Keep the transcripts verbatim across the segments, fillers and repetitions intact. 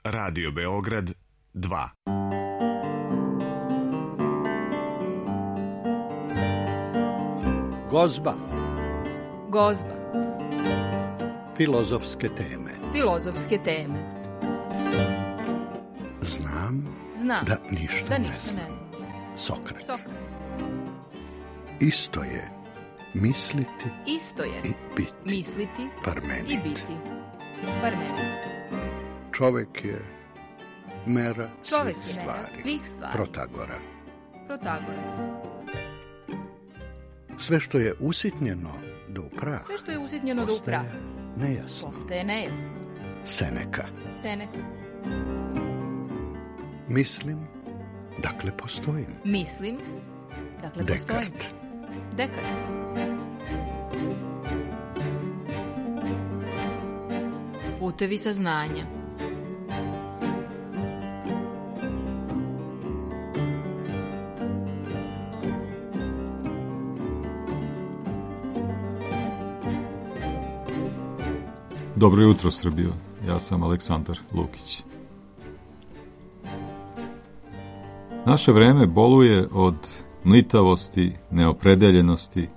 Radio Beograd dva. Gozba. Gozba. Filozofske teme. Filozofske teme. Znam, Znam da ništa, da ne ništa znam. ne znam. Sokrat. Sokrat. Isto je misliti Isto je i biti. misliti Parmenid. i biti. Parmenid. Čovek je mera Čovek svih je mera stvari. svih stvari. Protagora. Protagora. Sve što je usitnjeno do uprava Sve što je usitnjeno do uprava nejasno. postaje nejasno. Seneka. Seneka. Mislim, dakle postojim. Mislim, dakle postojim. Dekart. Dekart. Putevi saznanja. Dobro jutro, Srbijo. Ja sam Aleksandar Lukić. Naše vreme boluje od mlitavosti, neopredeljenosti,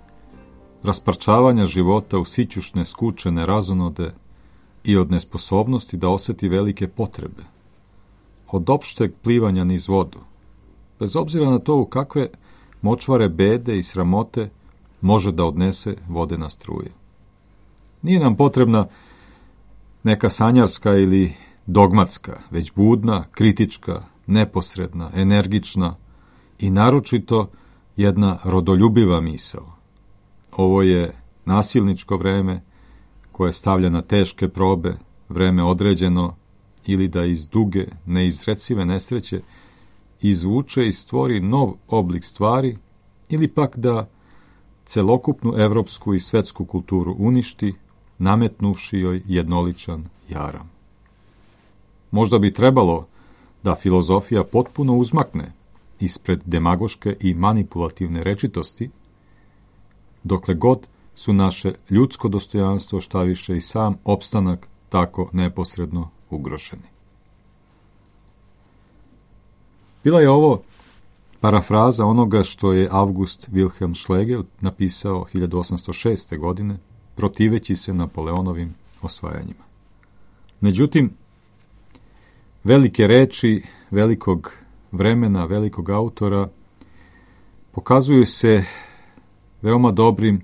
rasparčavanja života u sićušne, skučene razonode i od nesposobnosti da oseti velike potrebe, od opšteg plivanja niz vodu, bez obzira na to u kakve močvare bede i sramote može da odnese vodena struja. Nije nam potrebna neka sanjarska ili dogmatska, već budna, kritička, neposredna, energična i naročito jedna rodoljubiva misao. Ovo je nasilničko vreme koje stavlja na teške probe, vreme određeno ili da iz duge, neizrecive nesreće izvuče i stvori nov oblik stvari ili pak da celokupnu evropsku i svetsku kulturu uništi, nametnuvši joj jednoličan jaram. Možda bi trebalo da filozofija potpuno uzmakne ispred demagoške i manipulativne rečitosti, dokle god su naše ljudsko dostojanstvo, šta više i sam opstanak, tako neposredno ugroženi. Bila je ovo parafraza onoga što je August Wilhelm Schlegel napisao hiljadu osamsto šeste. godine, protiveći se Napoleonovim osvajanjima. Međutim, velike reči velikog vremena, velikog autora, pokazuju se veoma dobrim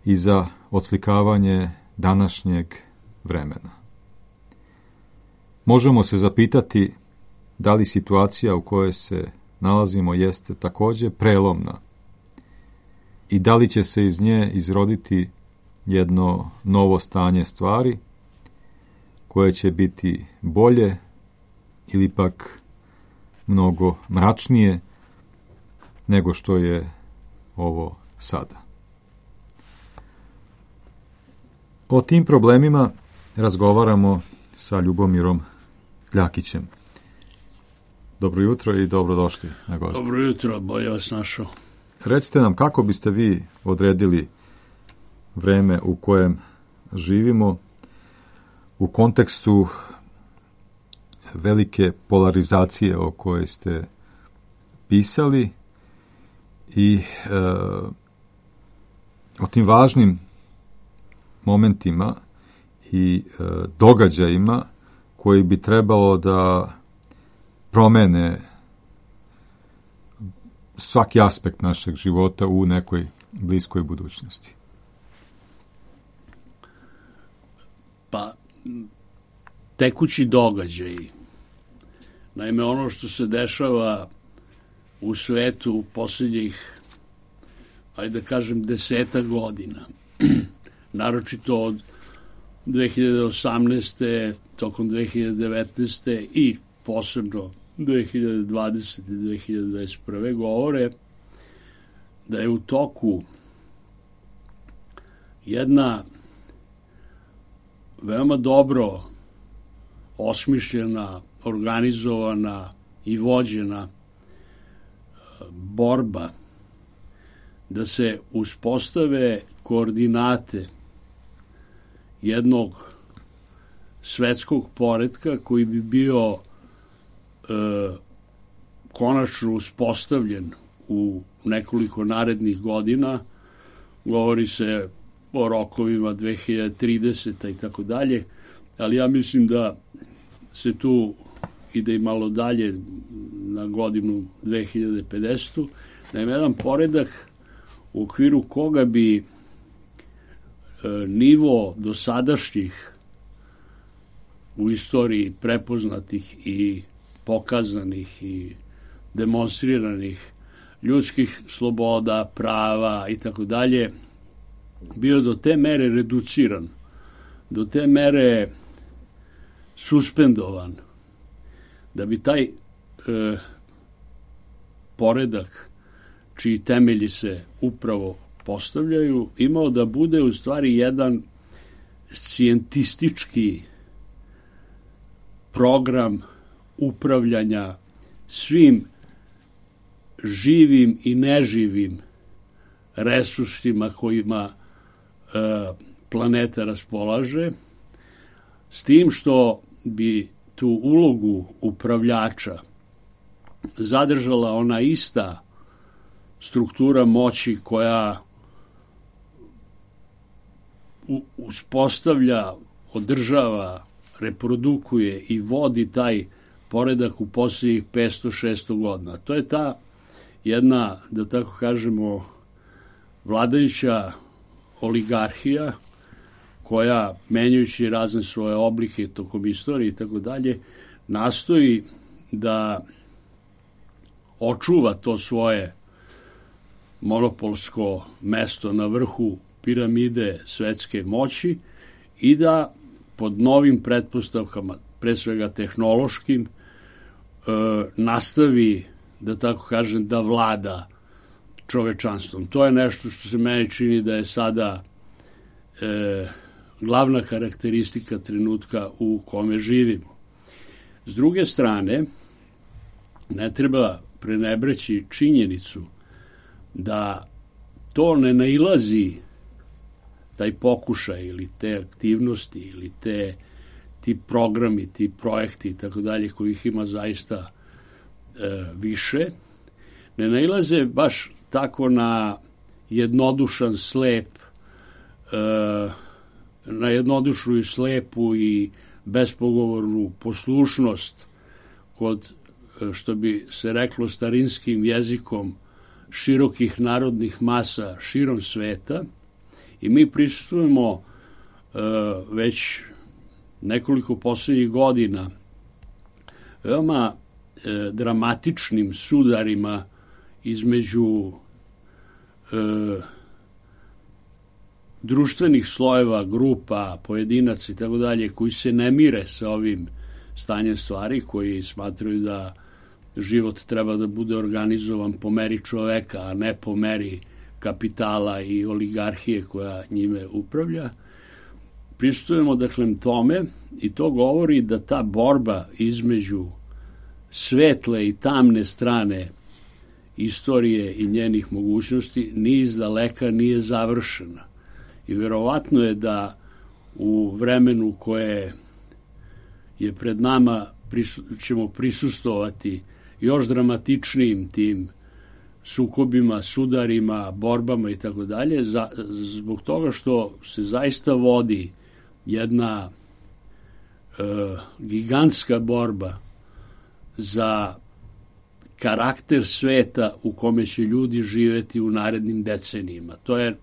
i za odslikavanje današnjeg vremena. Možemo se zapitati da li situacija u kojoj se nalazimo jeste također prelomna i da li će se iz nje izroditi jedno novo stanje stvari koje će biti bolje ili pak mnogo mračnije nego što je ovo sada. O tim problemima razgovaramo sa Ljubomirom Ljakićem. Dobro jutro i dobrodošli na Gozbu. Dobro jutro, bolje vas našao. Recite nam kako biste vi odredili vreme u kojem živimo u kontekstu velike polarizacije o kojoj ste pisali i e, o tim važnim momentima i e, događajima koji bi trebalo da promene svaki aspekt našeg života u nekoj bliskoj budućnosti. Pa, tekući događaji. Naime, ono što se dešava u svetu u posljednjih, ajde da kažem, deseta godina, naročito od dve hiljade osamnaeste. tokom dve hiljade devetnaeste. i posebno dve hiljade dvadesete. i dve hiljade dvadeset prve. govore da je u toku jedna veoma dobro osmišljena, organizovana i vođena borba da se uspostave koordinate jednog svetskog poretka koji bi bio e, konačno uspostavljen u nekoliko narednih godina. Govori se o rokovima dve hiljade trideseta i tako dalje, ali ja mislim da se tu ide i malo dalje na godinu dve hiljade pedesetu. Da ima jedan poredak u okviru koga bi e, nivo dosadašnjih u istoriji prepoznatih i pokazanih i demonstriranih ljudskih sloboda, prava i tako dalje bio do te mere reduciran, do te mere suspendovan, da bi taj e, poredak čiji temelji se upravo postavljaju imao da bude u stvari jedan scijentistički program upravljanja svim živim i neživim resursima kojima e, planeta raspolaže, s tim što bi tu ulogu upravljača zadržala ona ista struktura moći koja uspostavlja, održava, reprodukuje i vodi taj poredak u posljednjih petsto šesto godina. To je ta jedna, da tako kažemo, vladajuća oligarhija koja, menjajući razne svoje oblike tokom istorije i tako dalje, nastoji da očuva to svoje monopolsko mesto na vrhu piramide svetske moći i da pod novim pretpostavkama, pre svega tehnološkim, e, nastavi, da tako kažem, da vlada čovečanstvom. To je nešto što se meni čini da je sada e, glavna karakteristika trenutka u kome živimo. S druge strane, ne treba prenebreći činjenicu da to ne nailazi, taj pokušaj ili te aktivnosti ili te, ti programi, ti projekti i tako dalje, kojih ima zaista e, više, ne nailaze baš tako na jednodušan slep, e, na jednodušnu i slepu i bespogovornu poslušnost kod, što bi se reklo starinskim jezikom, širokih narodnih masa širom sveta, i mi prisustujemo e, već nekoliko posljednjih godina veoma e, dramatičnim sudarima između e, društvenih slojeva, grupa, pojedinaca i tako dalje, koji se ne mire sa ovim stanjem stvari, koji smatraju da život treba da bude organizovan po meri čoveka, a ne po meri kapitala i oligarhije koja njime upravlja. Prisustujemo dakle tome i to govori da ta borba između svetle i tamne strane istorije i njenih mogućnosti ni izdaleka nije završena. I verovatno je da u vremenu koje je pred nama prisu, ćemo prisustovati još dramatičnijim tim sukobima, sudarima, borbama i tako dalje, zbog toga što se zaista vodi jedna e, gigantska borba za karakter sveta u kome će ljudi živeti u narednim decenijima. To je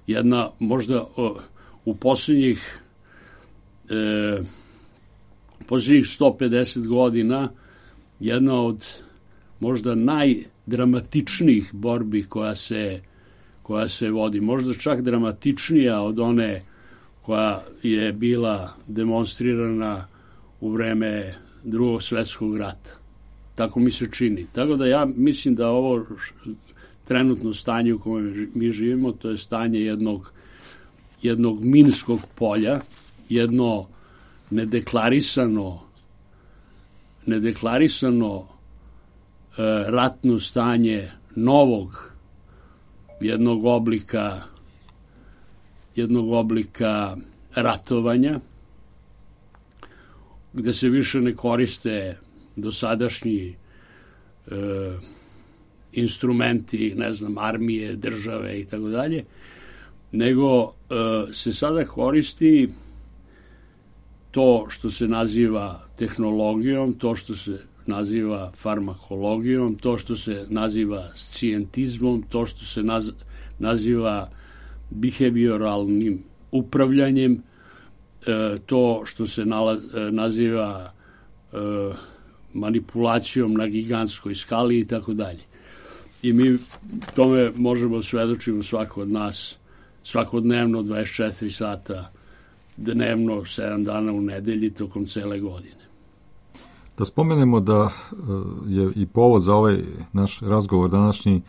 jedna, možda o, u posljednjih e, posljednjih sto pedeset godina jedna od možda najdramatičnijih borbi koja se, koja se vodi. Možda čak dramatičnija od one koja je bila demonstrirana u vreme Drugog svjetskog rata. Tako mi se čini. Tako da ja mislim da ovo trenutno stanje u kojem mi živimo, to je stanje jednog, jednog minskog polja, jedno nedeklarisano nedeklarisano e, ratno stanje novog jednog oblika jednog oblika ratovanja gde se više ne koriste dosadašnji e, instrumenti, ne znam, armije, države i tako dalje, nego e, se sada koristi to što se naziva tehnologijom, to što se naziva farmakologijom, to što se naziva scijentizmom, to što se naz, naziva behavioralnim upravljanjem, e, to što se nala, e, naziva e, manipulacijom na gigantskoj skali i tako dalje. I mi tome možemo svedočiti svako od nas svakodnevno dvadeset četiri sata dnevno, sedam dana u nedelji, tokom cele godine. Da spomenemo da je i povod za ovaj naš razgovor današnji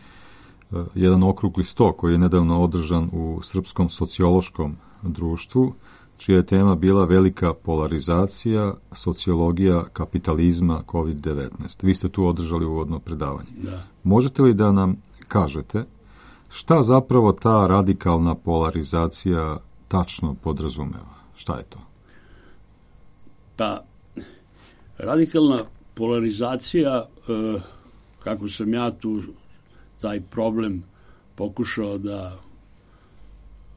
jedan okrugli sto koji je nedavno održan u Srpskom sociološkom društvu, čija je tema bila velika polarizacija, sociologija kapitalizma kovid devetnaest. Vi ste tu održali uvodno predavanje. Da. Možete li da nam kažete šta zapravo ta radikalna polarizacija tačno podrazumeva? Šta je to? Pa, radikalna polarizacija, kako sam ja tu taj problem pokušao da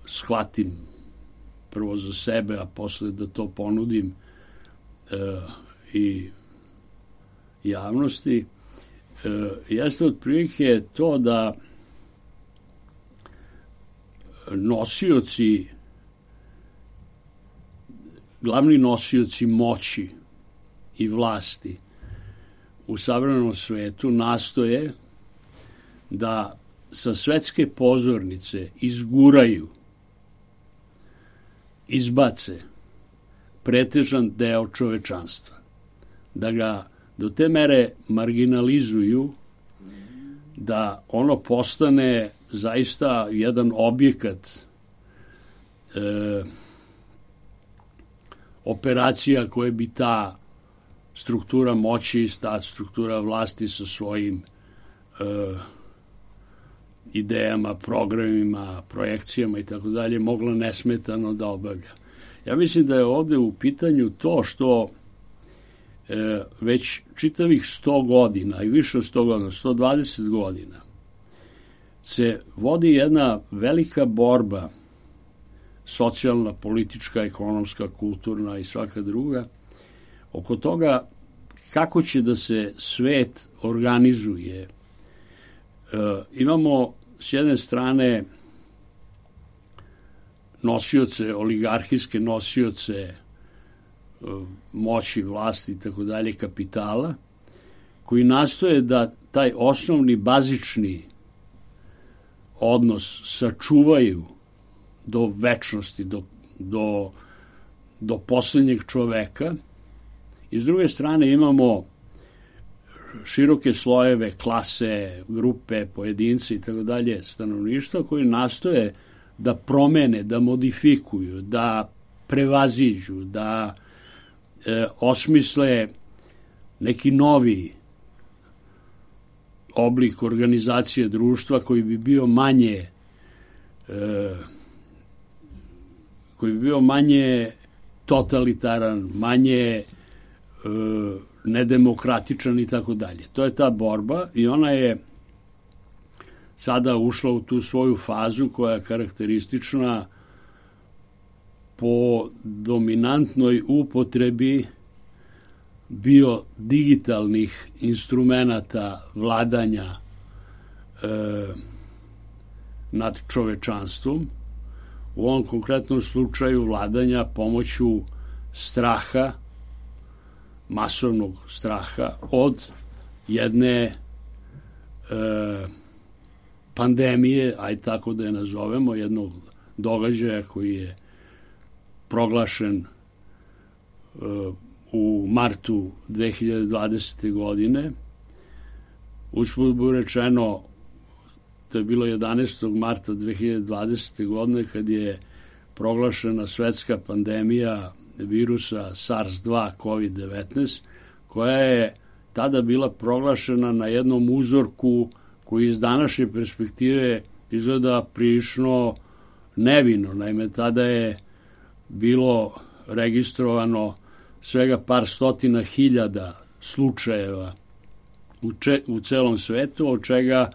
shvatim prvo za sebe, a posle da to ponudim i javnosti, jeste otprilike to da nosioci, glavni nosioci moći i vlasti u savremenom svetu nastoje da sa svetske pozornice izguraju, izbace pretežan deo čovečanstva, da ga do te mere marginalizuju da ono postane zaista jedan objekat e, operacija koje bi ta struktura moći, ta struktura vlasti sa svojim e, idejama, programima, projekcijama i tako dalje mogla nesmetano da obavlja. Ja mislim da je ovde u pitanju to što e, već čitavih sto godina i više od sto godina, sto dvadeset godina se vodi jedna velika borba, socijalna, politička, ekonomska, kulturna i svaka druga, oko toga kako će da se svet organizuje. E, imamo s jedne strane nosioce, oligarhijske nosioce e, moći, vlasti i tako dalje, kapitala, koji nastoje da taj osnovni, bazični odnos sačuvaju do večnosti, do, do, do poslednjeg čoveka. I s druge strane imamo široke slojeve, klase, grupe, pojedince i tako dalje, stanovništva koji nastoje da promene, da modifikuju, da prevaziđu, da e, osmisle neki novi oblik organizacije društva koji bi bio manje e, koji bi bio manje totalitaran, manje e, nedemokratičan i tako dalje. To je ta borba i ona je sada ušla u tu svoju fazu koja je karakteristična po dominantnoj upotrebi bio digitalnih instrumenata vladanja e, nad čovečanstvom, u ovom konkretnom slučaju vladanja pomoću straha, masovnog straha od jedne e, pandemije, aj tako da je nazovemo, jednog događaja koji je proglašen e, u martu dve hiljade dvadesete. godine. Usput budi rečeno, to je bilo jedanaestog marta dve hiljade dvadesete. godine kad je proglašena svetska pandemija virusa SARS dva kovid devetnaest, koja je tada bila proglašena na jednom uzorku koji iz današnje perspektive izgleda prilično nevino. Naime, tada je bilo registrovano svega par stotina hiljada slučajeva u, če, u celom svetu, od čega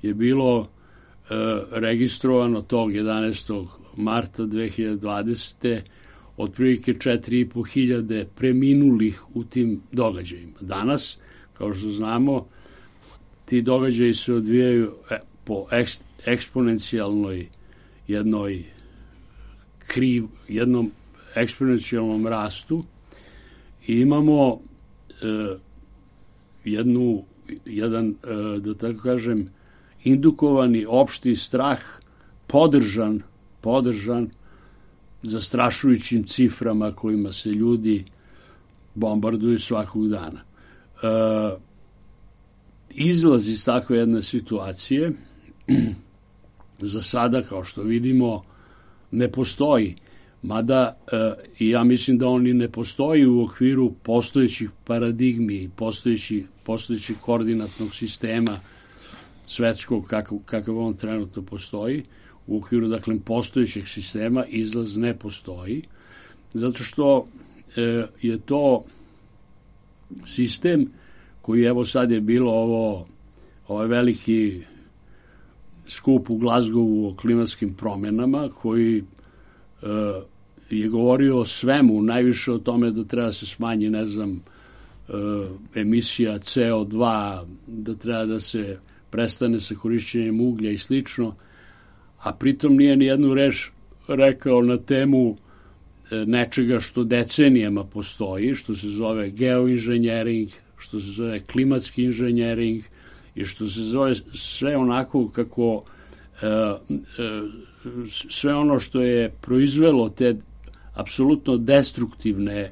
je bilo e, registrovano tog jedanaestog marta dve hiljade dvadesete otprilike četiri i po hiljade preminulih u tim događajima. Danas, kao što znamo, ti događaji se odvijaju po eks, eksponencijalnoj jednoj kriv, jednom eksponencijalnom rastu i imamo e, jednu, jedan, e, da tako kažem, indukovani opšti strah podržan, podržan zastrašujućim ciframa kojima se ljudi bombarduju svakog dana. E, izlaz iz takve jedne situacije za sada, kao što vidimo, ne postoji, mada e, ja mislim da on i ne postoji u okviru postojećih paradigmi, postojećih, postojećih koordinatnog sistema svetskog kakav, kakav on trenutno postoji. U okviru, dakle, postojećeg sistema izlaz ne postoji, zato što e, je to sistem koji, evo sad je bilo ovo, ovaj veliki skup u Glazgovu o klimatskim promjenama, koji e, je govorio o svemu, najviše o tome da treba se smanji, ne znam, e, emisija ce o dva, da treba da se prestane sa korišćenjem uglja i slično, a pritom nije ni jednu reč rekao na temu nečega što decenijama postoji, što se zove geoinženjering, što se zove klimatski inženjering i što se zove sve onako kako sve ono što je proizvelo te apsolutno destruktivne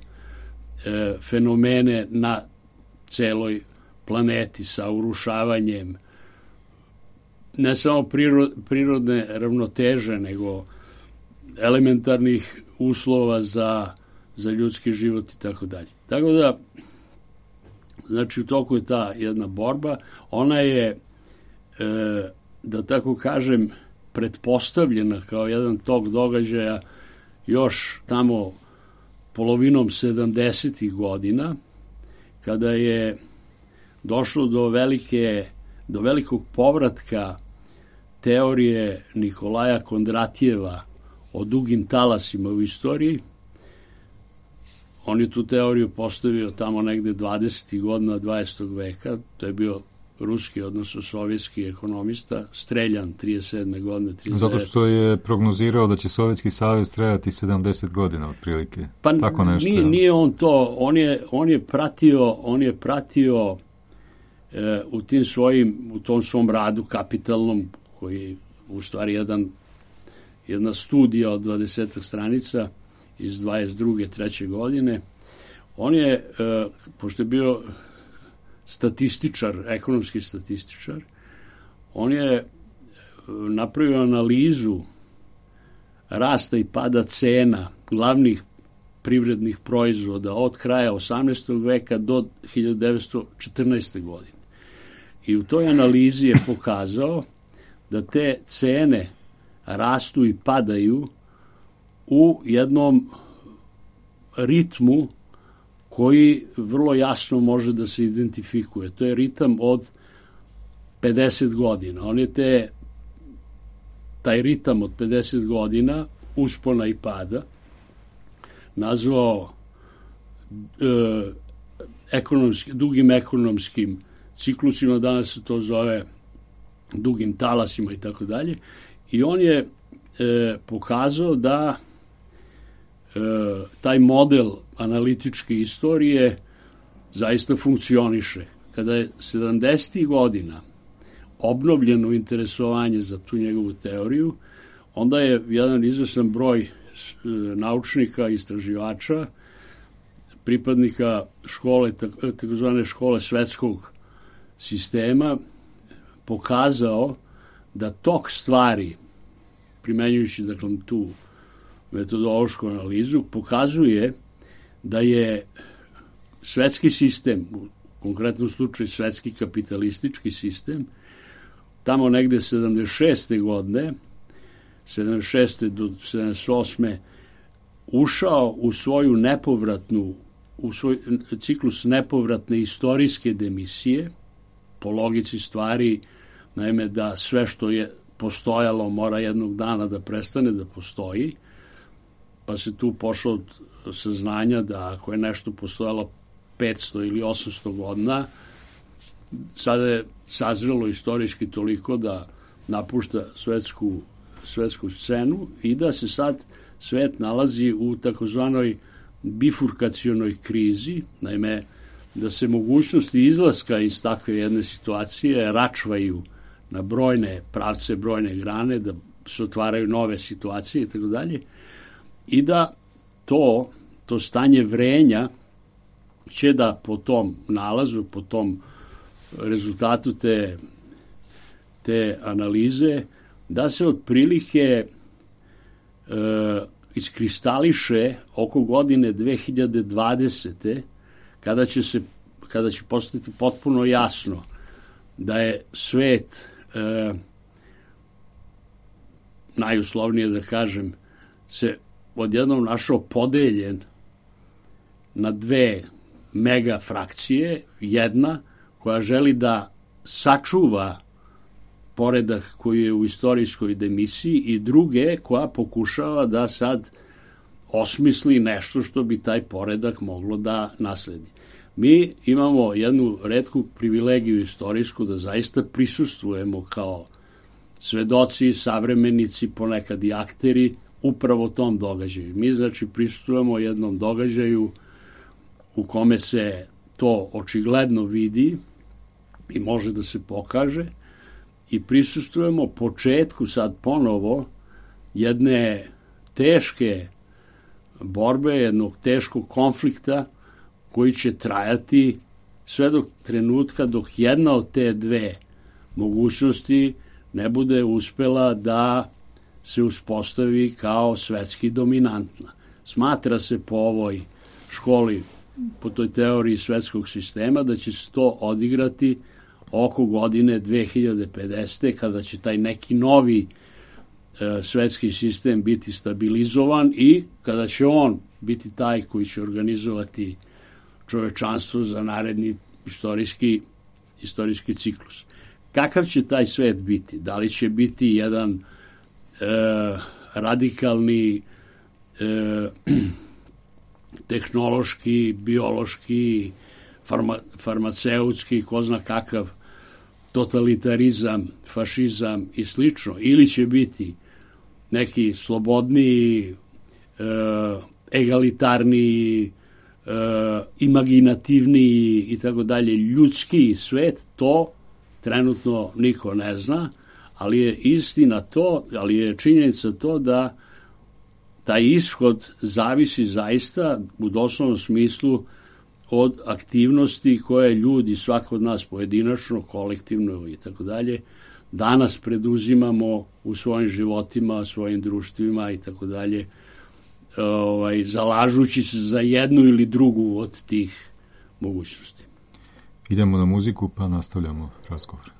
fenomene na celoj planeti sa urušavanjem ne samo prirodne ravnoteže, nego elementarnih uslova za, za ljudski život i tako dalje. Tako da, znači, u toku je ta jedna borba, ona je, e, da tako kažem, pretpostavljena kao jedan tok događaja još tamo polovinom sedamdesetih godina, kada je došlo do velike, do velikog povratka teorije Nikolaja Kondratjeva o dugim talasima u istoriji. On je tu teoriju postavio tamo negde dvadesetih godina dvadesetog veka. To je bio ruski, odnosno sovjetski ekonomista, streljan trideset sedme godine. trideset devete Zato što je prognozirao da će Sovjetski savez trajati sedamdeset godina otprilike. Pa tako nešto. Nije, nije on to, on je, on je pratio, on je pratio e, u tim svojim, u tom svom radu kapitalnom, koji u stvari jedan, jedna studija od dvadesetak stranica iz dvadeset druge treće godine. On je, e, pošto je bio statističar, ekonomski statističar, on je napravio analizu rasta i pada cena glavnih privrednih proizvoda od kraja osamnaestog veka do hiljadu devetsto četrnaeste. godine. I u toj analizi je pokazao da te cene rastu i padaju u jednom ritmu koji vrlo jasno može da se identifikuje. To je ritam od pedeset godina. On je te, taj ritam od pedeset godina, uspona i pada, nazvao e, ekonomski, dugim ekonomskim ciklusima, danas se to zove dugim talasima i tako dalje. I on je e, pokazao da e, taj model analitičke istorije zaista funkcioniše. Kada je sedamdesetih godina obnovljeno interesovanje za tu njegovu teoriju, onda je jedan izvestan broj naučnika, istraživača, pripadnika škole, takozvane škole svetskog sistema, pokazao da tok stvari, primenjujući, dakle, tu metodološku analizu, pokazuje da je svetski sistem, u konkretnom slučaju svetski kapitalistički sistem, tamo negde sedamdeset šeste. godine, sedamdeset šeste do sedamdeset osme. ušao u svoju nepovratnu u svoj ciklus nepovratne istorijske demisije, po logici stvari, naime da sve što je postojalo mora jednog dana da prestane da postoji, pa se tu pošlo od saznanja da ako je nešto postojalo petsto ili osamsto godina, sada je sazrelo istorijski toliko da napušta svetsku, svetsku scenu i da se sad svet nalazi u takozvanoj bifurkacionoj krizi, naime da se mogućnosti izlaska iz takve jedne situacije račvaju na brojne pravce, brojne grane, da se otvaraju nove situacije i tako dalje, i da to, to stanje vrenja će da po tom nalazu, po tom rezultatu te, te analize, da se otprilike e, iskristališe oko godine dve hiljade dvadesete. kada će se kada će postati potpuno jasno da je svet e, najuslovnije da kažem se odjednom našao podeljen na dve mega frakcije, jedna koja želi da sačuva poredak koji je u istorijskoj demisiji i druge koja pokušava da sad osmisli nešto što bi taj poredak moglo da nasledi. Mi imamo jednu retku privilegiju istorijsku da zaista prisustvujemo kao svedoci, savremenici, ponekad i akteri upravo tom događaju. Mi znači prisustvujemo jednom događaju u kome se to očigledno vidi i može da se pokaže i prisustvujemo početku sad ponovo jedne teške borbe, jednog teškog konflikta koji će trajati sve do trenutka dok jedna od te dve mogućnosti ne bude uspela da se uspostavi kao svetski dominantna. Smatra se po ovoj školi, po toj teoriji svetskog sistema, da će se to odigrati oko godine dve hiljade pedesete. kada će taj neki novi e, svetski sistem biti stabilizovan i kada će on biti taj koji će organizovati čovečanstvo za naredni istorijski, istorijski ciklus. Kakav će taj svet biti? Da li će biti jedan e, radikalni e, tehnološki, biološki, farma, farmaceutski, ko zna kakav totalitarizam, fašizam i slično, ili će biti neki slobodniji, e, egalitarniji, e, imaginativniji i tako dalje ljudski svet, to trenutno niko ne zna, ali je istina to, ali je činjenica to da taj ishod zavisi zaista u doslovnom smislu od aktivnosti koje ljudi, svako od nas pojedinačno, kolektivno i tako dalje, danas preduzimamo u svojim životima, svojim društvima i tako dalje, ovaj, zalažući se za jednu ili drugu od tih mogućnosti. Idemo na muziku pa nastavljamo razgovor.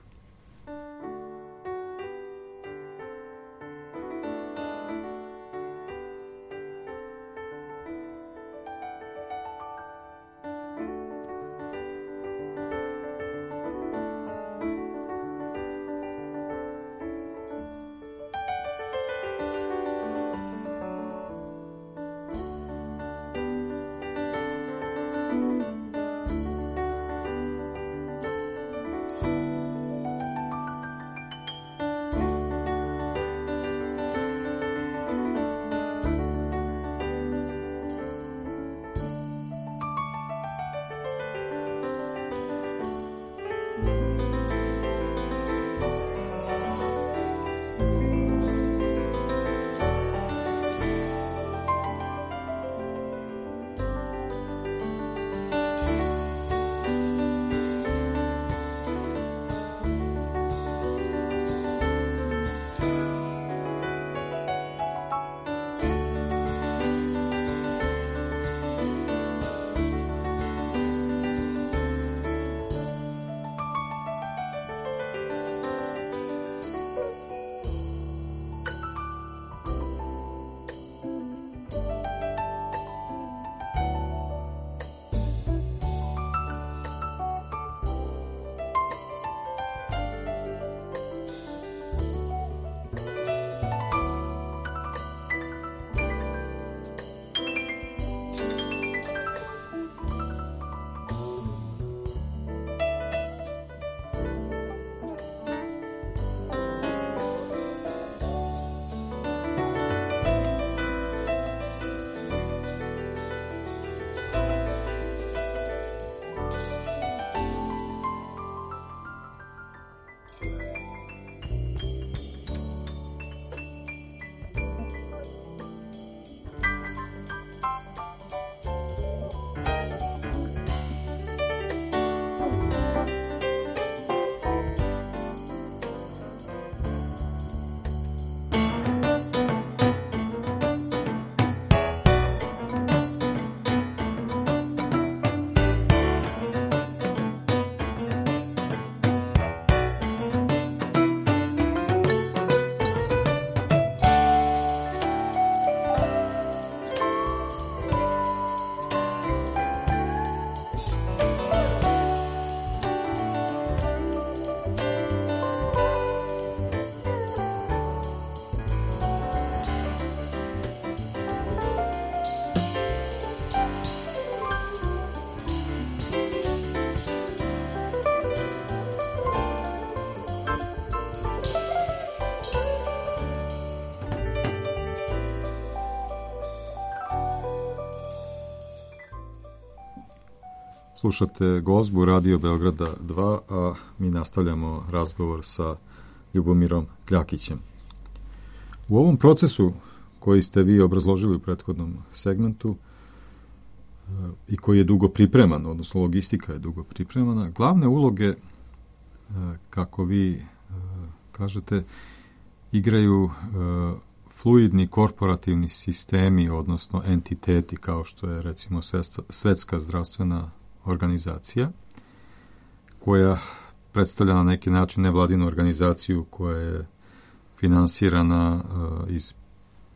slušate Gozbu Radio Beograda dva, a mi nastavljamo razgovor sa Ljubomirom Kljakićem. U ovom procesu koji ste vi obrazložili u prethodnom segmentu i koji je dugo pripreman, odnosno logistika je dugo pripremana, glavne uloge, kako vi kažete, igraju fluidni korporativni sistemi, odnosno entiteti, kao što je recimo Svetska zdravstvena organizacija, koja predstavlja na neki način nevladinu organizaciju koja je finansirana iz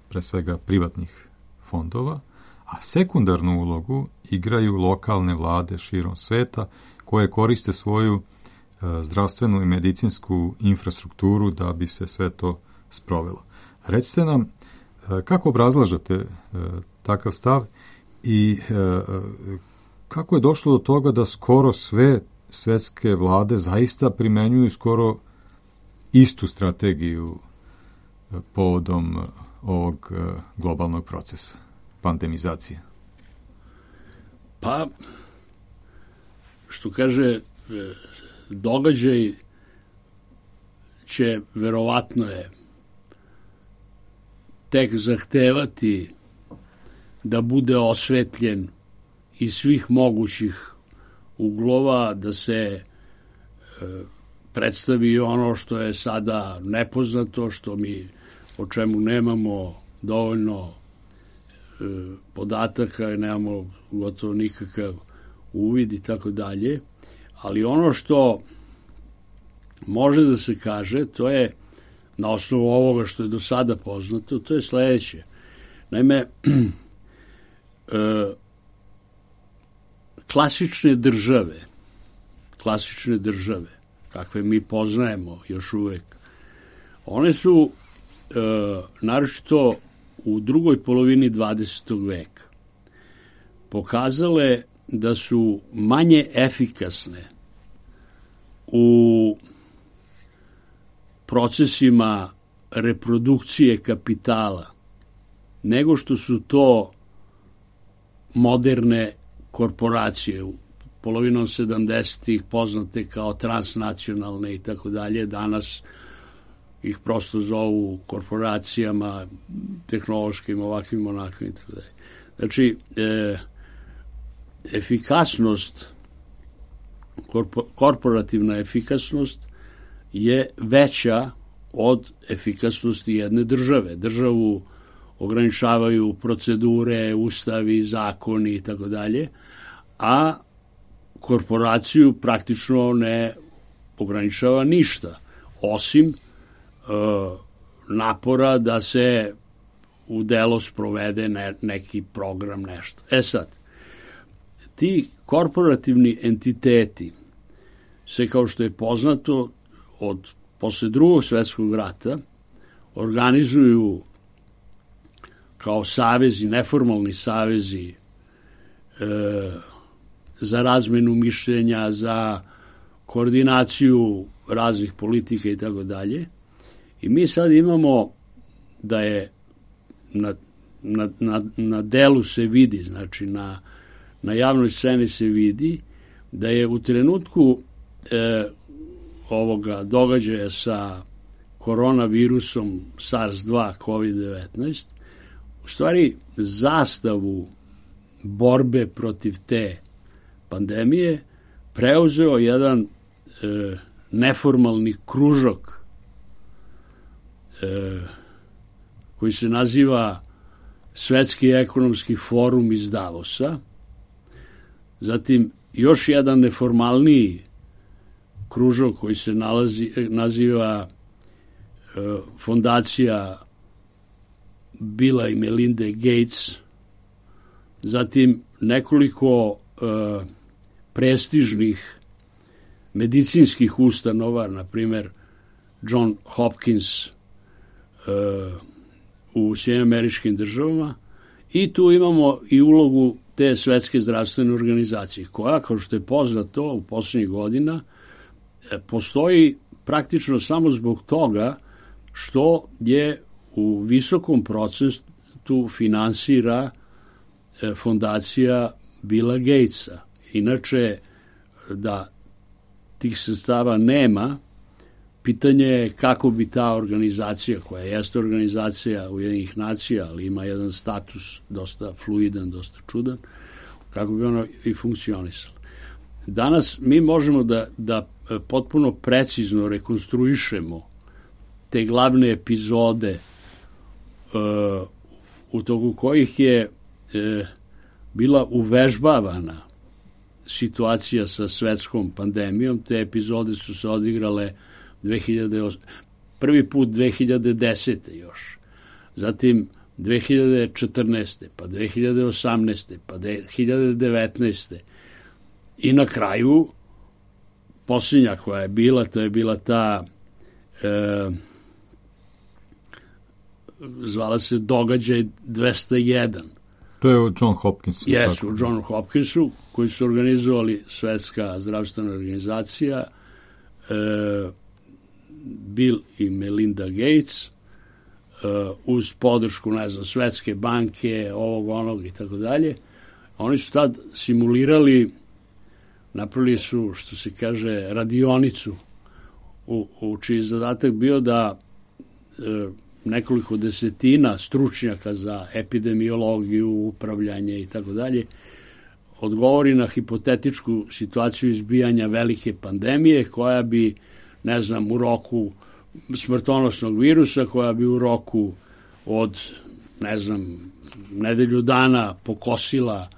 pre svega privatnih fondova, a sekundarnu ulogu igraju lokalne vlade širom sveta koje koriste svoju zdravstvenu i medicinsku infrastrukturu da bi se sve to sprovelo. Recite nam, kako obrazlažete takav stav i kako je došlo do toga da skoro sve svetske vlade zaista primenjuju skoro istu strategiju povodom ovog globalnog procesa, pandemizacije? Pa, što kaže, događaj će, verovatno je, tek zahtevati da bude osvetljen iz svih mogućih uglova, da se e, predstavi ono što je sada nepoznato, što mi, o čemu nemamo dovoljno e, podataka, nemamo gotovo nikakav uvid i tako dalje, ali ono što može da se kaže, to je na osnovu ovoga što je do sada poznato, to je sledeće. Naime, e, klasične države, klasične države, kakve mi poznajemo još uvek, one su, e, naročito u drugoj polovini dvadesetog veka, pokazale da su manje efikasne u procesima reprodukcije kapitala nego što su to moderne korporacije, polovinom sedamdesetih poznate kao transnacionalne i tako dalje, danas ih prosto zovu korporacijama tehnološkim, ovakvim, onakvim i tako dalje. Znači, e, efikasnost, korpo, korporativna efikasnost je veća od efikasnosti jedne države. Državu ograničavaju procedure, ustavi, zakoni i tako dalje, a korporaciju praktično ne ograničava ništa, osim e, napora da se u delo sprovede ne, neki program, nešto. E sad, ti korporativni entiteti se, kao što je poznato, od posle drugog svetskog rata organizuju kao savezi, neformalni savezi e, za razmenu mišljenja, za koordinaciju raznih politika i tako dalje. I mi sad imamo da je na, na, na, na delu se vidi, znači na, na javnoj sceni se vidi da je u trenutku e, ovoga događaja sa koronavirusom SARS dva kovid devetnaest, u stvari zastavu borbe protiv te pandemije preuzeo jedan e, neformalni kružok e, koji se naziva Svetski ekonomski forum iz Davosa, zatim još jedan neformalniji kružok koji se nalazi, naziva e, fondacija Billa i Melinde Gates, zatim nekoliko e, prestižnih medicinskih ustanova, na primer John Hopkins e, u Sjedinjenim Američkim Državama, i tu imamo i ulogu te Svetske zdravstvene organizacije, koja, kao što je poznato u poslednjih godina, postoji praktično samo zbog toga što je u visokom procentu finansira fondacija Billa Gatesa. inače da tih sredstava nema, pitanje je kako bi ta organizacija, koja jeste organizacija Ujedinjenih nacija, ali ima jedan status dosta fluidan, dosta čudan, kako bi ona i funkcionisala. Danas mi možemo da, da potpuno precizno rekonstruišemo te glavne epizode uh, u toku kojih je uh, bila uvežbavana situacija sa svetskom pandemijom. Te epizode su se odigrale dve hiljade osam prvi put dve hiljade desete još, zatim dve hiljade četrnaeste, pa dve hiljade osamnaeste, pa dve hiljade devetnaeste i na kraju posljednja koja je bila, to je bila ta e, zvala se događaj dvesta jedan. To je u John Hopkinsu. Jesu, u Johnu Hopkinsu, koji su organizovali Svetska zdravstvena organizacija, e, Bill i Melinda Gates, e, uz podršku, ne znam, Svetske banke, ovog, onog i tako dalje. Oni su tad simulirali, napravili su, što se kaže, radionicu, u, u čiji zadatak bio da e, nekoliko desetina stručnjaka za epidemiologiju, upravljanje i tako dalje, odgovori na hipotetičku situaciju izbijanja velike pandemije koja bi, ne znam, u roku smrtonosnog virusa, koja bi u roku od, ne znam, nedelju dana pokosila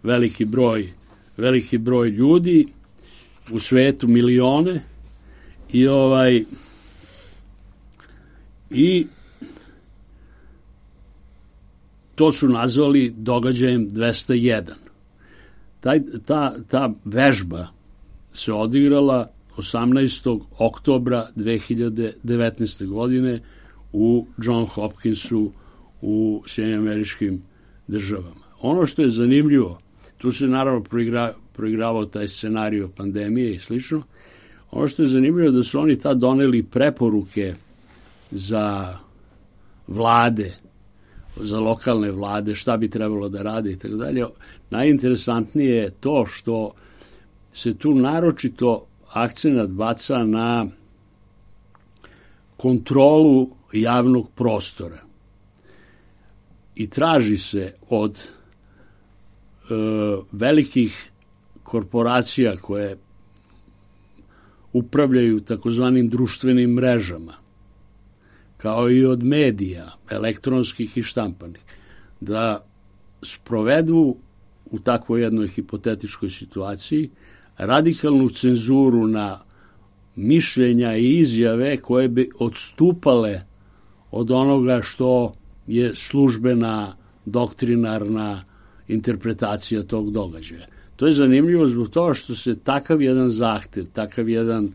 veliki broj, veliki broj ljudi u svetu, milione, i ovaj i to su nazvali događajem dvesta jedan. Taj, ta, ta vežba se odigrala osamnaestog oktobra dve hiljade devetnaeste. godine u John Hopkinsu u Sjedinjenim Američkim Državama. Ono što je zanimljivo, tu se naravno proigra, proigravao taj scenario pandemije i slično, ono što je zanimljivo da su oni tad doneli preporuke za vlade, za lokalne vlade, šta bi trebalo da rade i tako dalje. Najinteresantnije je to što se tu naročito akcenat baca na kontrolu javnog prostora i traži se od e, velikih korporacija koje upravljaju takozvanim društvenim mrežama, kao i od medija, elektronskih i štampanih, da sprovedu u takvoj jednoj hipotetičkoj situaciji radikalnu cenzuru na mišljenja i izjave koje bi odstupale od onoga što je službena doktrinarna interpretacija tog događaja. To je zanimljivo zbog toga što se takav jedan zahtev, takav jedan,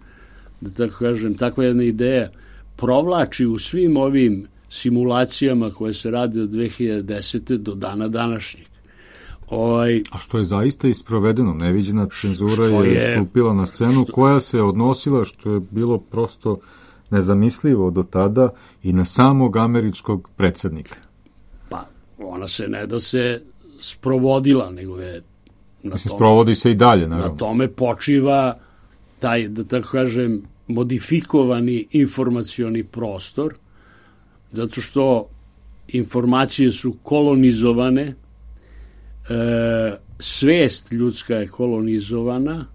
da tako kažem, takva jedna ideja provlači u svim ovim simulacijama koje se rade od dve hiljade desete. do dana današnjeg. Ovaj, A što je zaista isprovedeno, neviđena cenzura je, je stupila na scenu, što, koja se odnosila, što je bilo prosto nezamislivo do tada, i na samog američkog predsjednika. Pa, ona se ne da se sprovodila, nego je na Mislim, tome, sprovodi se i dalje, naravno. Na tome počiva taj, da tako kažem, modifikovani informacioni prostor, zato što informacije su kolonizovane, e, svest ljudska je kolonizovana,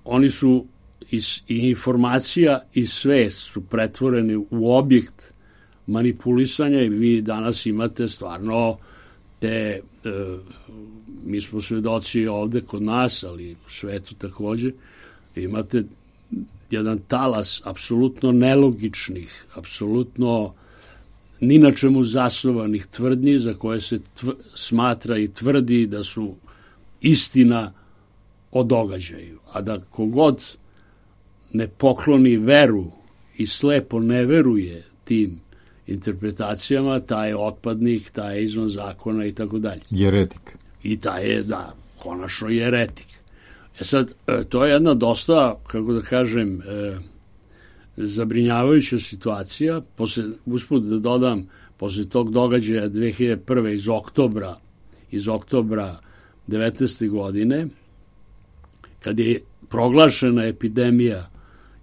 oni su i, i informacija i svest su pretvoreni u objekt manipulisanja i vi danas imate stvarno te, e, mi smo svedoci ovde kod nas, ali u svetu takođe, imate jedan talas apsolutno nelogičnih, apsolutno ni na čemu zasnovanih tvrdnji za koje se tv, smatra i tvrdi da su istina o događaju. A da kogod ne pokloni veru i slepo ne veruje tim interpretacijama, taj je otpadnik, taj je izvan zakona i tako dalje. Jeretik. I taj je, da, konačno jeretik. E sad, to je jedna dosta, kako da kažem, e, zabrinjavajuća situacija. Posle, usput da dodam, posle tog događaja dve hiljade prve. iz oktobra, iz oktobra devetnaeste. godine, kad je proglašena epidemija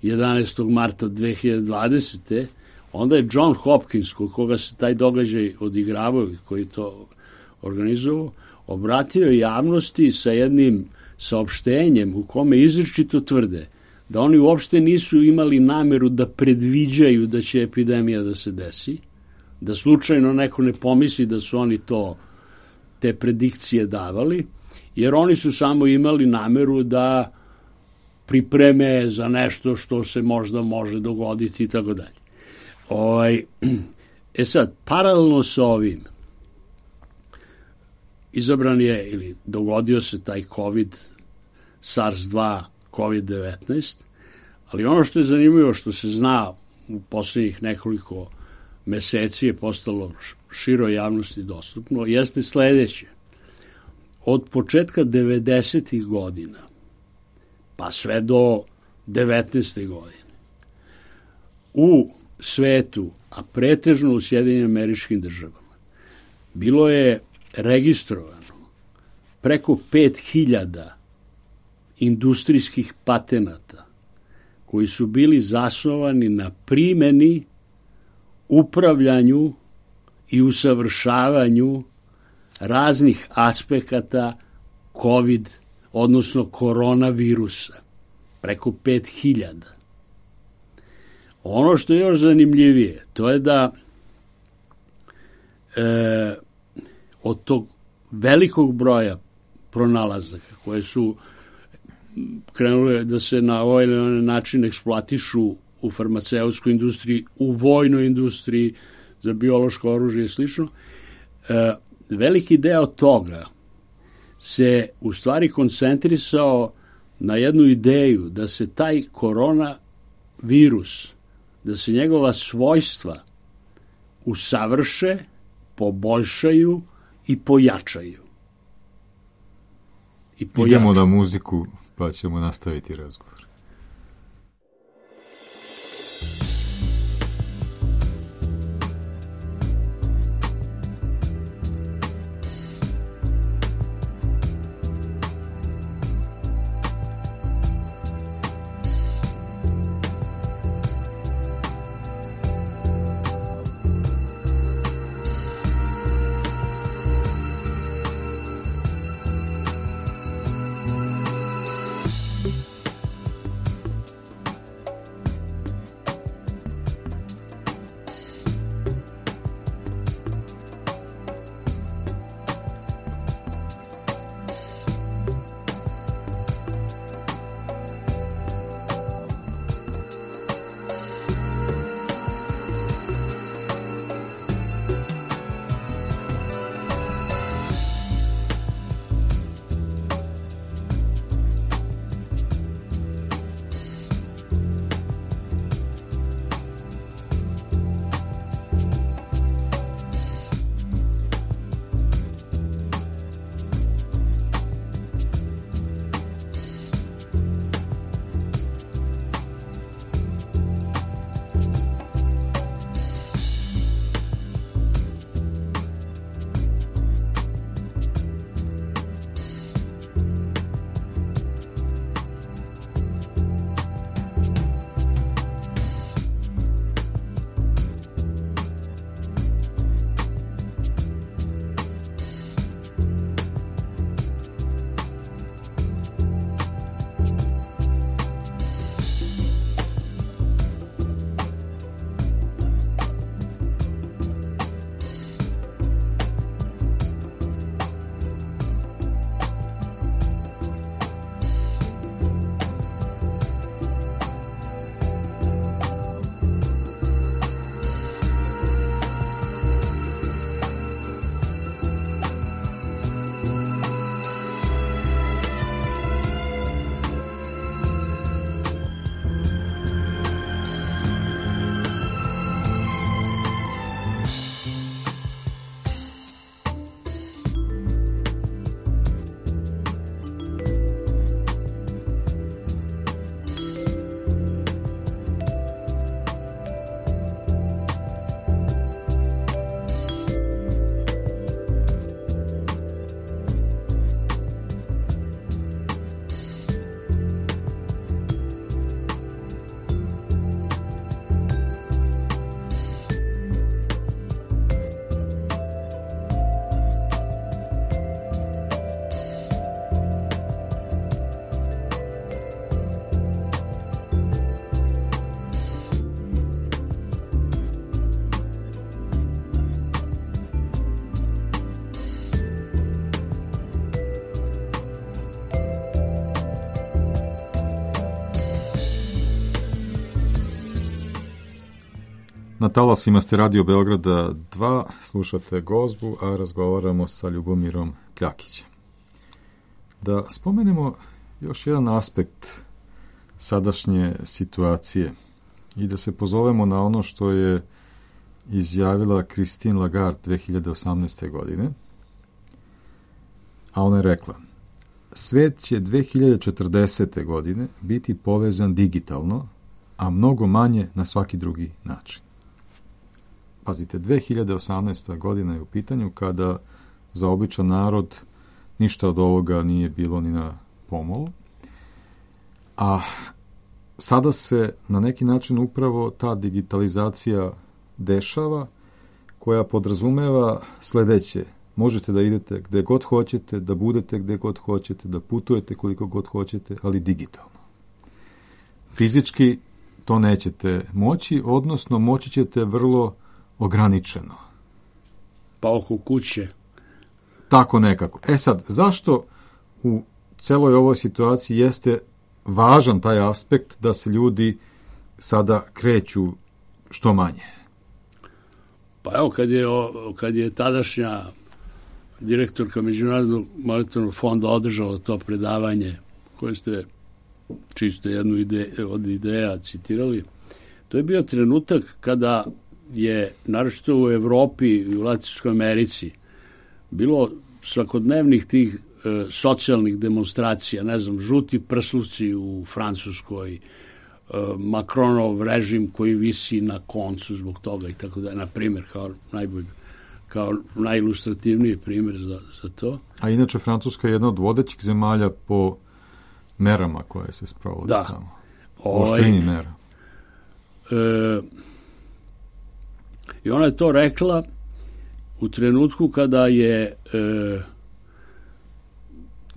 jedanaestog marta dve hiljade dvadesete. onda je John Hopkins, kod koga se taj događaj odigravao i koji to organizovao, obratio javnosti sa jednim saopštenjem u kome izričito tvrde da oni uopšte nisu imali nameru da predviđaju da će epidemija da se desi, da slučajno neko ne pomisli da su oni to, te predikcije davali, jer oni su samo imali nameru da pripreme za nešto što se možda može dogoditi i tako dalje. Ovaj, e sad, paralelno sa ovim, izabran je ili dogodio se taj COVID, SARS dva, COVID devetnaest, ali ono što je zanimljivo, što se zna u poslednjih nekoliko meseci je postalo široj javnosti dostupno, jeste sledeće. Od početka devedesetih godina pa sve do devetnaeste. godine u svetu, a pretežno u Sjedinjenim Američkim Državama, bilo je registrovano preko pet hiljada industrijskih patenata koji su bili zasnovani na primeni, upravljanju i usavršavanju raznih aspekata COVID, odnosno koronavirusa. Preko pet hiljada. Ono što je još zanimljivije, to je da e, od tog velikog broja pronalazaka koje su krenule da se na ovaj ili onaj način eksploatišu u farmaceutskoj industriji, u vojnoj industriji, za biološko oružje i slično, e, veliki deo toga se u stvari koncentrisao na jednu ideju da se taj koronavirus, da se njegova svojstva usavrše, poboljšaju i pojačaju. I pojačaju. Idemo na muziku, pa ćemo nastaviti razgovor. Na talasima ste Radio Beograda dva, slušate Gozbu, a razgovaramo sa Ljubomirom Kljakićem. Da spomenemo još jedan aspekt sadašnje situacije i da se pozovemo na ono što je izjavila Christine Lagarde dve hiljade osamnaeste. godine, a ona je rekla: svet će dve hiljade četrdesete. godine biti povezan digitalno, a mnogo manje na svaki drugi način. Pazite, dve hiljade osamnaesta. godina je u pitanju kada za običan narod ništa od ovoga nije bilo ni na pomolu, a sada se na neki način upravo ta digitalizacija dešava, koja podrazumeva sledeće: možete da idete gde god hoćete, da budete gde god hoćete, da putujete koliko god hoćete, ali digitalno. Fizički to nećete moći, odnosno moći ćete vrlo ograničeno. Pa oko kuće. Tako nekako. E sad, zašto u celoj ovoj situaciji jeste važan taj aspekt da se ljudi sada kreću što manje? Pa evo, kad je, kad je tadašnja direktorka Međunarodnog monetarnog fonda održala to predavanje, koje ste čisto jednu ide, od ideja citirali, to je bio trenutak kada je, naročito u Evropi i u Latinskoj Americi, bilo svakodnevnih tih e, socijalnih demonstracija, ne znam, žuti prsluci u Francuskoj, e, Macronov režim koji visi na koncu zbog toga i tako da, na primjer, kao najbolji, kao najilustrativniji primjer za, za to. A inače, Francuska je jedna od vodećih zemalja po merama koje se sprovode da. tamo. Oštrini mera. E, I ona je to rekla u trenutku kada je e,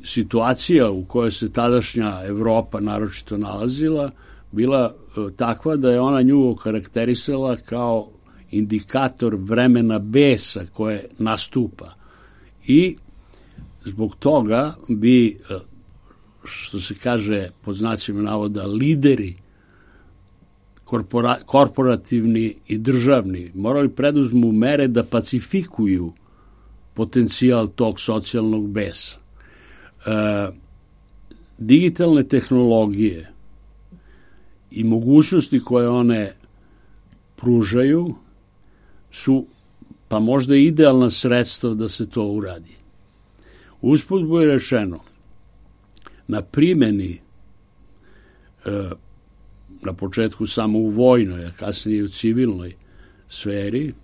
situacija u kojoj se tadašnja Evropa naročito nalazila bila e, takva da je ona nju okarakterisala kao indikator vremena besa koje nastupa. I zbog toga bi, što se kaže pod znacima navoda, lideri korpora, korporativni i državni morali preduzmu mere da pacifikuju potencijal tog socijalnog besa. E, digitalne tehnologije i mogućnosti koje one pružaju su pa možda idealna sredstva da se to uradi. Usput bude rečeno, na primjeni e, na početku samo u vojnoj, a kasnije u civilnoj sferi,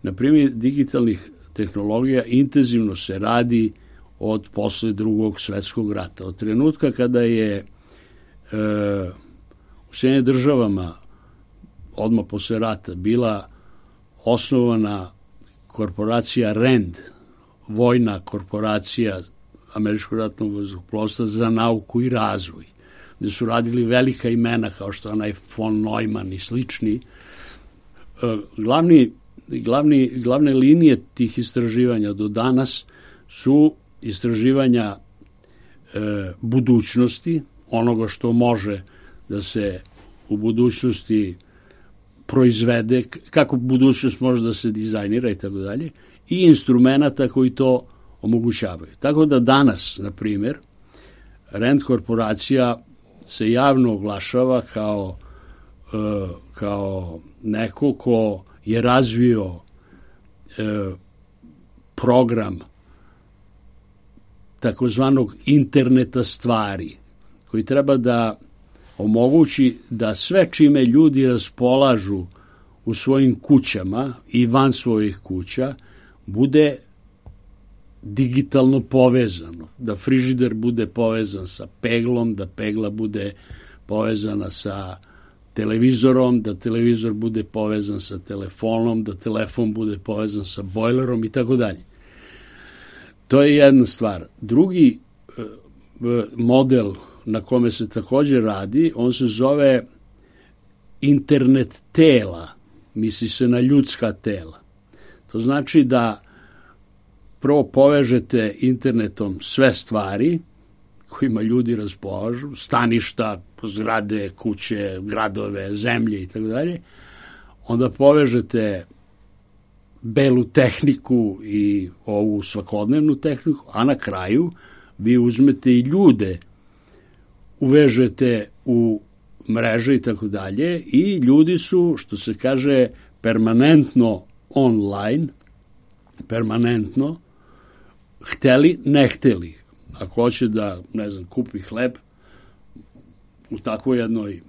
na primjer digitalnih tehnologija intenzivno se radi od posle drugog svetskog rata. Od trenutka kada je e, u Sjedinjenim državama odmah posle rata bila osnovana korporacija RAND, vojna korporacija Američkog ratnog vazduhoplovstva za nauku i razvoj, gde su radili velika imena kao što je onaj von Neumann i slični. Glavni, glavni, glavne linije tih istraživanja do danas su istraživanja e, budućnosti, onoga što može da se u budućnosti proizvede, kako budućnost može da se dizajnira i tako dalje, i instrumenta koji to omogućavaju. Tako da danas, na primjer, RAND korporacija se javno oglašava kao, e, kao neko ko je razvio e, program takozvanog interneta stvari, koji treba da omogući da sve čime ljudi raspolažu u svojim kućama i van svojih kuća bude digitalno povezano, da frižider bude povezan sa peglom, da pegla bude povezana sa televizorom, da televizor bude povezan sa telefonom, da telefon bude povezan sa bojlerom i tako dalje. To je jedna stvar. Drugi model na kome se također radi, on se zove internet tela, misli se na ljudska tela. To znači da prvo povežete internetom sve stvari kojima ljudi raspolažu, staništa, zgrade, kuće, gradove, zemlje i tako dalje. onda povežete belu tehniku i ovu svakodnevnu tehniku, a na kraju vi uzmete i ljude, uvežete u mreže i tako dalje i ljudi su, što se kaže, permanentno online, permanentno, hteli, ne hteli. Ako hoće da, ne znam, kupi hleb u takvoj jednoj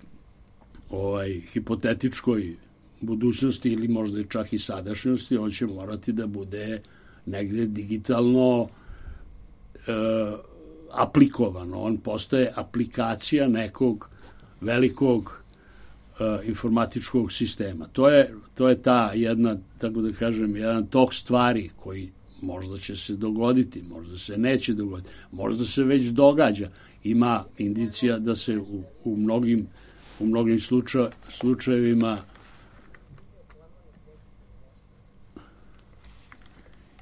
ovaj, hipotetičkoj budućnosti ili možda čak i sadašnjosti, on će morati da bude negde digitalno e, aplikovano. On postaje aplikacija nekog velikog e, informatičkog sistema. To je, to je ta jedna, tako da kažem, jedan tok stvari koji možda će se dogoditi, možda se neće dogoditi, možda se već događa. Ima indicija da se u, u mnogim, u mnogim slučaj, slučajevima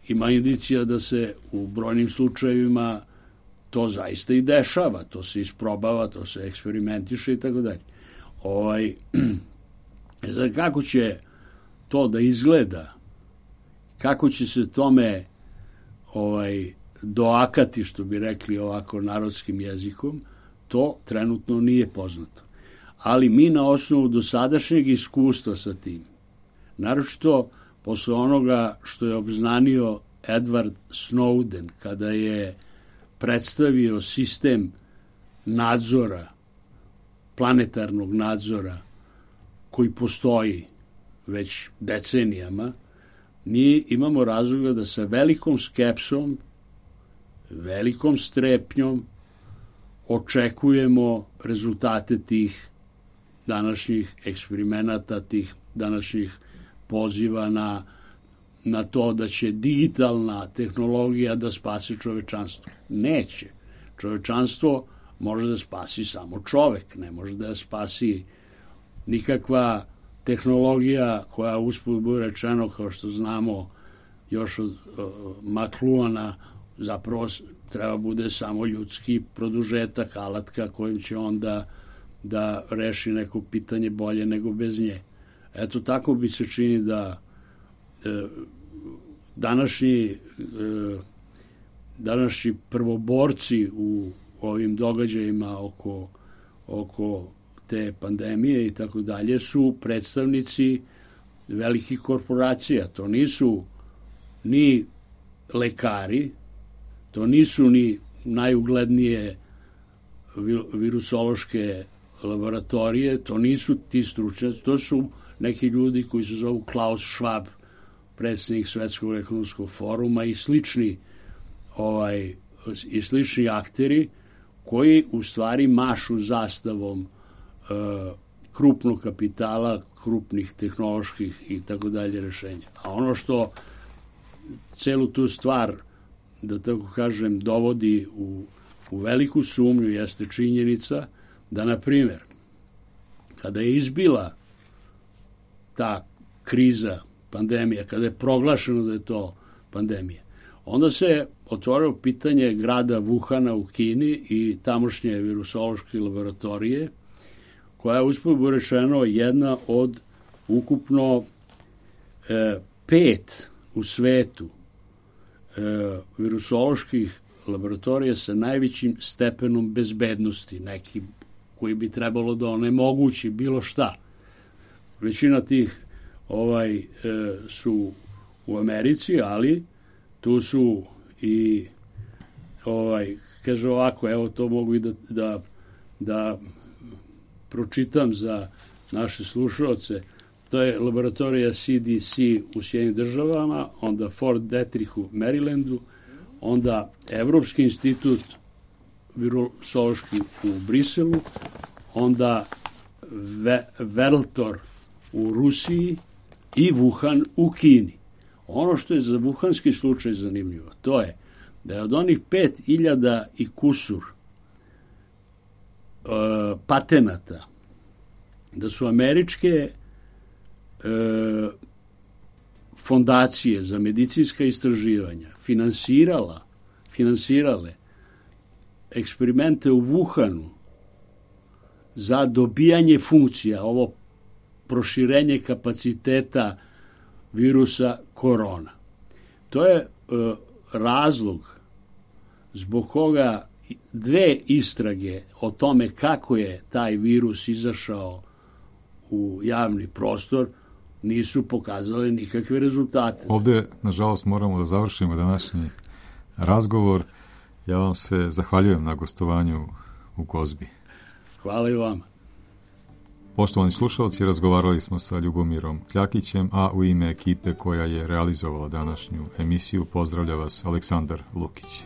ima indicija da se u brojnim slučajevima to zaista i dešava, to se isprobava, to se eksperimentiše i tako dalje. Ovaj, znači, kako će to da izgleda, kako će se tome ovaj, doakati, što bi rekli ovako narodskim jezikom, to trenutno nije poznato. Ali mi na osnovu dosadašnjeg iskustva sa tim, naročito posle onoga što je obznanio Edward Snowden, kada je predstavio sistem nadzora, planetarnog nadzora, koji postoji već decenijama, mi imamo razloga da sa velikom skepsom, velikom strepnjom očekujemo rezultate tih današnjih eksperimenata, tih današnjih poziva na, na to da će digitalna tehnologija da spasi čovečanstvo. Neće. Čovečanstvo može da spasi samo čovek, ne može da spasi nikakva tehnologija koja usput bude rečeno, kao što znamo još od uh, Makluana, zapravo treba bude samo ljudski produžetak, alatka kojim će onda da reši neko pitanje bolje nego bez nje. Eto, tako bi se čini da e, današnji, e, današnji prvoborci u ovim događajima oko, oko te pandemije i tako dalje su predstavnici velikih korporacija. To nisu ni lekari, to nisu ni najuglednije virusološke laboratorije, to nisu ti stručnjaci, to su neki ljudi koji se zovu Klaus Schwab, predsjednik Svetskog ekonomskog foruma i slični ovaj, i slični akteri koji u stvari mašu zastavom e, krupnog kapitala, krupnih tehnoloških i tako dalje rešenja. A ono što celu tu stvar, da tako kažem, dovodi u, u veliku sumnju jeste činjenica da, na primjer, kada je izbila ta kriza, pandemija, kada je proglašeno da je to pandemija, onda se otvorilo pitanje grada Wuhana u Kini i tamošnje virusološke laboratorije, koja je usput bude rečeno jedna od ukupno e, pet u svetu e, virusoloških laboratorija sa najvećim stepenom bezbednosti, neki koji bi trebalo da onemogući bilo šta. Većina tih ovaj e, su u Americi, ali tu su i ovaj, kaže ovako, evo to mogu i da, da, da pročitam za naše slušalce. To je laboratorija C D C u Sjedinjenim državama, onda Fort Detrick u Marylandu, onda Evropski institut virusološki u Briselu, onda Ve, Veltor u Rusiji i Wuhan u Kini. Ono što je za wuhanski slučaj zanimljivo, to je da je od onih pet hiljada i kusur e, patenata, da su američke e, fondacije za medicinska istraživanja finansirala, finansirale eksperimente u Wuhanu za dobijanje funkcija, ovo proširenje kapaciteta virusa korona. To je e, razlog zbog koga dve istrage o tome kako je taj virus izašao u javni prostor nisu pokazale nikakve rezultate. Ovdje, nažalost, moramo da završimo današnji razgovor. Ja vam se zahvaljujem na gostovanju u Gozbi. Hvala i vama. Poštovani slušalci, razgovarali smo sa Ljubomirom Kljakićem, a u ime ekipe koja je realizovala današnju emisiju pozdravlja vas Aleksandar Lukić.